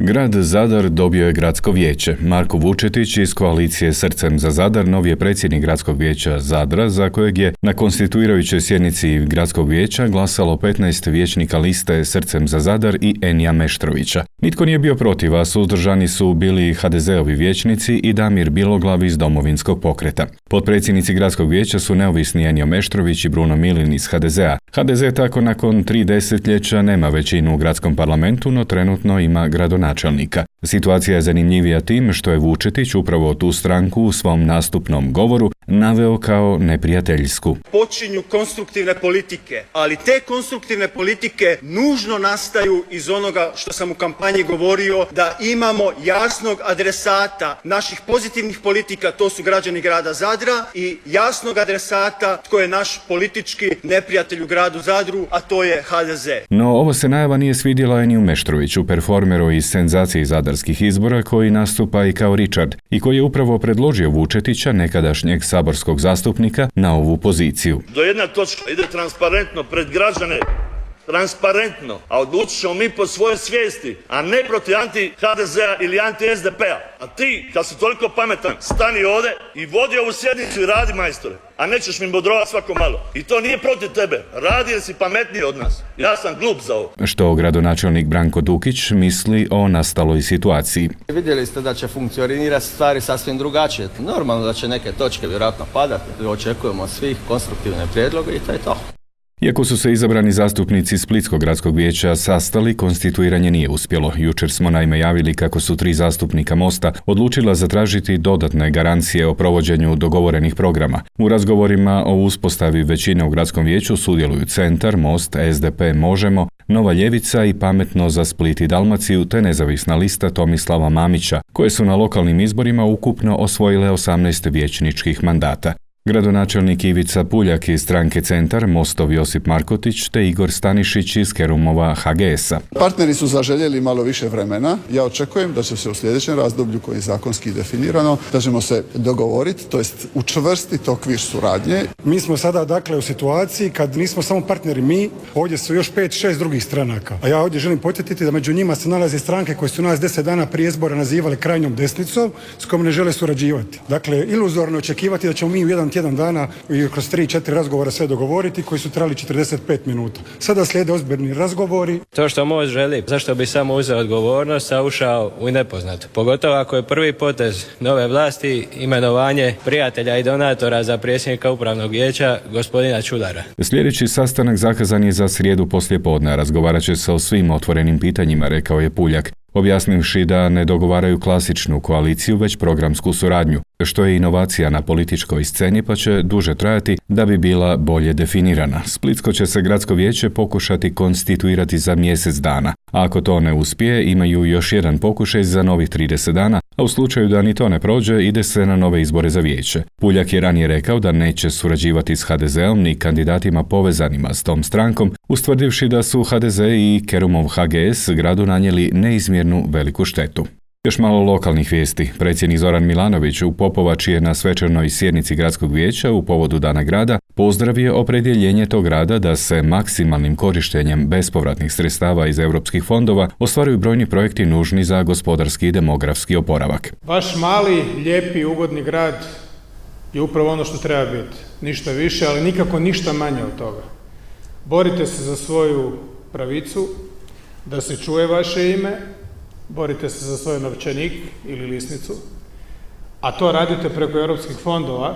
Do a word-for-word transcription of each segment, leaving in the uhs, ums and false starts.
Grad Zadar dobio je gradsko vijeće. Marko Vučetić iz koalicije Srcem za Zadar novi je predsjednik gradskog vijeća Zadra, za kojeg je na konstituirajućoj sjednici gradskog vijeća glasalo petnaest vijećnika liste Srcem za Zadar i Enija Meštrovića. Nitko nije bio protiv, a suzdržani su bili ha de zeovi vijećnici i Damir Biloglav iz Domovinskog pokreta. Potpredsjednici gradskog vijeća su neovisni Enio Meštrović i Bruno Milin iz ha de zea. ha de ze tako nakon tri desetljeća nema većinu u gradskom parlamentu, no trenutno ima gradonačelnika. Situacija je zanimljivija tim što je Vučetić upravo tu stranku u svom nastupnom govoru naveo kao neprijateljsku. Počinju konstruktivne politike, ali te konstruktivne politike nužno nastaju iz onoga što sam u kampanji govorio, da imamo jasnog adresata naših pozitivnih politika, to su građani grada Zadra, i jasnog adresata tko je naš politički neprijatelj u gradu Zadru, a to je ha de ze. No ovo se najava nije svidjela Eniju Meštroviću, performeru iz senzaciji zadarskih izbora koji nastupa i kao Richard i koji je upravo predložio Vučetića, nekadašnjeg saborskog zastupnika, na ovu poziciju. Do jedna točka ide transparentno pred građane, transparentno, a odlučit ćemo mi po svojoj svijesti, a ne protiv anti-ha de zea ili anti-es de pea. A ti, kad si toliko pametan, stani ovdje i vodi ovu sjednicu i radi, majstore, a nećeš mi bodrovati svako malo. I to nije protiv tebe, radi jer si pametniji od nas. Ja sam glup za ovo. Što gradonačelnik Branko Dukić misli o nastaloj situaciji. Vidjeli ste da će funkcionirati stvari sasvim drugačije. Normalno da će neke točke vjerojatno padati. Očekujemo svih konstruktivne prijedloge i to je to. Iako su se izabrani zastupnici Splitskog gradskog vijeća sastali, konstituiranje nije uspjelo. Jučer smo naime javili kako su tri zastupnika Mosta odlučila zatražiti dodatne garancije o provođenju dogovorenih programa. U razgovorima o uspostavi većine u gradskom vijeću sudjeluju Centar, Most, es de pe Možemo, Nova ljevica i Pametno za Split i Dalmaciju te nezavisna lista Tomislava Mamića, koje su na lokalnim izborima ukupno osvojile osamnaest vijećničkih mandata. Gradonačelnik Ivica Puljak iz stranke Centar, Mostov Josip Markotić te Igor Stanišić iz Kerumova ha ge esa. Partneri su zaželjeli malo više vremena. Ja očekujem da će se u sljedećem razdoblju, koji je zakonski definirano, da ćemo se dogovoriti, to jest učvrstiti okvir suradnje. Mi smo sada dakle u situaciji kad nismo samo partneri mi, ovdje su još pet, šest drugih stranaka. A ja ovdje želim podsjetiti da među njima se nalaze stranke koje su nas deset dana prije izbora nazivali krajnjom desnicom, s kojom ne žele surađivati. Dakle, iluzorno očekivati da ćemo mi u jedan tjedan dana i kroz tri četiri razgovora sve dogovoriti koji su trajali četrdeset pet minuta. Sada slijede ozbiljni razgovori. To što Most želi, zašto bi samo uzeo odgovornost, a ušao u nepoznato. Pogotovo ako je prvi potez nove vlasti imenovanje prijatelja i donatora za predsjednika upravnog vijeća, gospodina Čudara. Sljedeći sastanak zakazan je za srijedu poslijepodne, razgovarat će se o svim otvorenim pitanjima, rekao je Puljak, objasnivši da ne dogovaraju klasičnu koaliciju, već programsku suradnju, što je inovacija na političkoj sceni pa će duže trajati da bi bila bolje definirana. Splitsko će se gradsko vijeće pokušati konstituirati za mjesec dana. A ako to ne uspije, imaju još jedan pokušaj za novih trideset dana, a u slučaju da ni to ne prođe, ide se na nove izbore za vijeće. Puljak je ranije rekao da neće surađivati s ha de zeom ni kandidatima povezanima s tom strankom, ustvrdivši da su ha de ze i Kerumov ha ge es gradu nanijeli neizmjernu veliku štetu. Još malo lokalnih vijesti. Predsjednik Zoran Milanović u Popovači je na svečanoj sjednici gradskog vijeća u povodu Dana grada pozdravio opredjeljenje tog grada da se maksimalnim korištenjem bespovratnih sredstava iz europskih fondova ostvaruju brojni projekti nužni za gospodarski i demografski oporavak. Vaš mali, lijepi, ugodni grad je upravo ono što treba biti. Ništa više, ali nikako ništa manje od toga. Borite se za svoju pravicu, da se čuje vaše ime, borite se za svoj novčanik ili lisnicu, a to radite preko europskih fondova,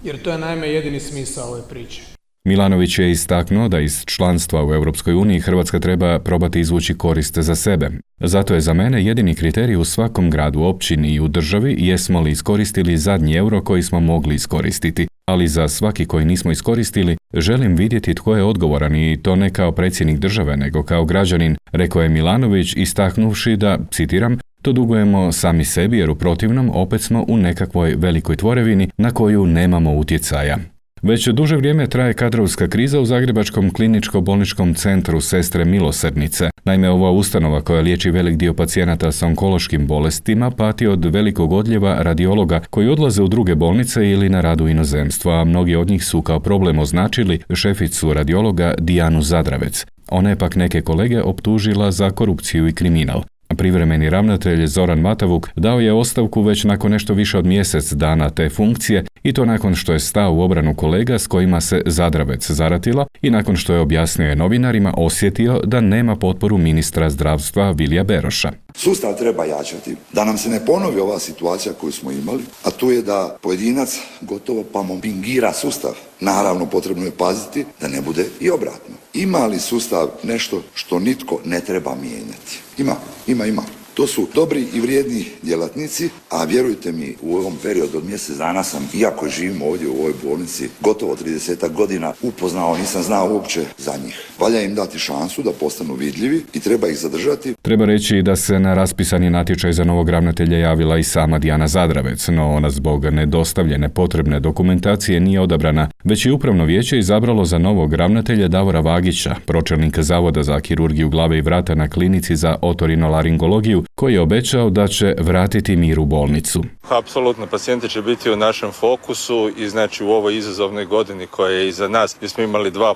jer to je naime jedini smisao ove priče. Milanović je istaknuo da iz članstva u Europskoj uniji Hrvatska treba probati izvući korist za sebe. Zato je za mene jedini kriterij u svakom gradu, općini i u državi jesmo li iskoristili zadnji euro koji smo mogli iskoristiti. Ali za svaki koji nismo iskoristili, želim vidjeti tko je odgovoran i to ne kao predsjednik države, nego kao građanin, rekao je Milanović, istaknuvši da, citiram, to dugujemo sami sebi jer u protivnom opet smo u nekakvoj velikoj tvorevini na koju nemamo utjecaja. Već duže vrijeme traje kadrovska kriza u Zagrebačkom kliničko-bolničkom centru Sestre Milosrdnice. Naime, ova ustanova koja liječi velik dio pacijenata s onkološkim bolestima pati od velikog odljeva radiologa koji odlaze u druge bolnice ili na rad u inozemstvo, a mnogi od njih su kao problem označili šeficu radiologa Dijanu Zadravec. Ona je pak neke kolege optužila za korupciju i kriminal. Privremeni ravnatelj Zoran Matavuk dao je ostavku već nakon nešto više od mjesec dana te funkcije i to nakon što je stao u obranu kolega s kojima se Zadravec zaratila i nakon što je objasnio novinarima osjetio da nema potporu ministra zdravstva Vilija Beroša. Sustav treba jačati, da nam se ne ponovi ova situacija koju smo imali, a to je da pojedinac gotovo pa mobbingira sustav. Naravno, potrebno je paziti da ne bude i obratno. Ima li sustav nešto što nitko ne treba mijenjati? Ima, ima, ima. To su dobri i vrijedni djelatnici, a vjerujte mi, u ovom periodu od mjesec dana sam, iako živim ovdje u ovoj bolnici, gotovo trideset godina upoznao, nisam znao uopće za njih. Valja im dati šansu da postanu vidljivi i treba ih zadržati. Treba reći da se na raspisani natječaj za novog ravnatelja javila i sama Dijana Zadravec, no ona zbog nedostavljene potrebne dokumentacije nije odabrana, već je upravno vijeće izabralo za novog ravnatelja Davora Vagića, pročelnika Zavoda za kirurgiju glave i vrata na klinici za otorinolaringologiju, koji je obećao da će vratiti mir u bolnicu. Apsolutno, pacijenti će biti u našem fokusu i znači u ovoj izazovnoj godini koja je iza nas, gdje smo imali dva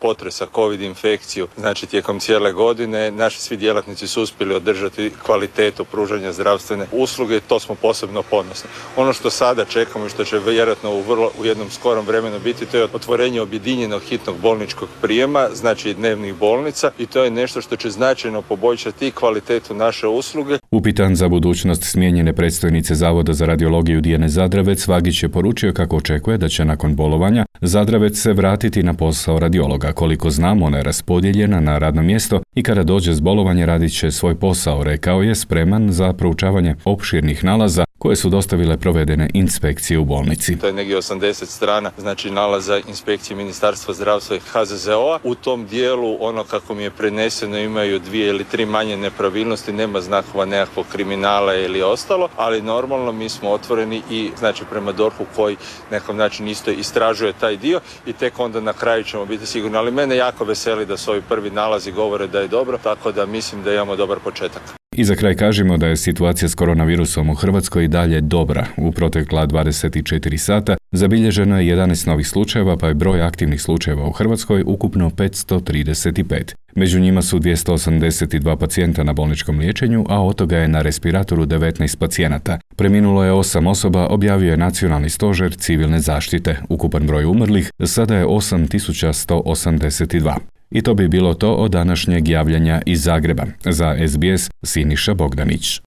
potresa, covid infekciju, znači tijekom cijele godine, naši svi djelatnici su uspjeli održati kvalitetu pružanja zdravstvene usluge i to smo posebno ponosni. Ono što sada čekamo i što će vjerojatno u, vrlo, u jednom skorom vremenu biti, to je otvorenje objedinjenog hitnog bolničkog prijema, znači dnevnih bolnica, i to je nešto što će značajno poboljšati i kvalitetu naše usluge. Upitan za budućnost smijenjene predstojnice Zavoda za radiologiju Dijane Zadravec, Vagić je poručio kako očekuje da će nakon bolovanja Zadravec se vratiti na posao radiologa. Koliko znam, ona je raspodijeljena na radno mjesto i kada dođe s bolovanja radit će svoj posao, rekao je, spreman za proučavanje opširnih nalaza koje su dostavile provedene inspekcije u bolnici. To je negdje osamdeset strana, znači nalaza inspekcije Ministarstva zdravstva i H Z Z O-a. U tom dijelu, ono kako mi je preneseno, imaju dvije ili tri manje nepravilnosti, nema znakova nekakvog kriminala ili ostalo, ali normalno mi smo otvoreni i znači prema D O R H-u koji nekom način isto istražuje taj dio i tek onda na kraju ćemo biti sigurni. Ali mene jako veseli da su ovi prvi nalazi govore da je dobro, tako da mislim da imamo dobar početak. I za kraj kažemo da je situacija s koronavirusom u Hrvatskoj i dalje dobra. U protekla dvadeset četiri sata zabilježeno je jedanaest novih slučajeva, pa je broj aktivnih slučajeva u Hrvatskoj ukupno petsto trideset pet. Među njima su dvjesto osamdeset dva pacijenta na bolničkom liječenju, a od toga je na respiratoru devetnaest pacijenata. Preminulo je osam osoba, objavio je Nacionalni stožer civilne zaštite. Ukupan broj umrlih sada je osam tisuća sto osamdeset dva. I to bi bilo to od današnjeg javljanja iz Zagreba. Za S B S Siniša Bogdanić.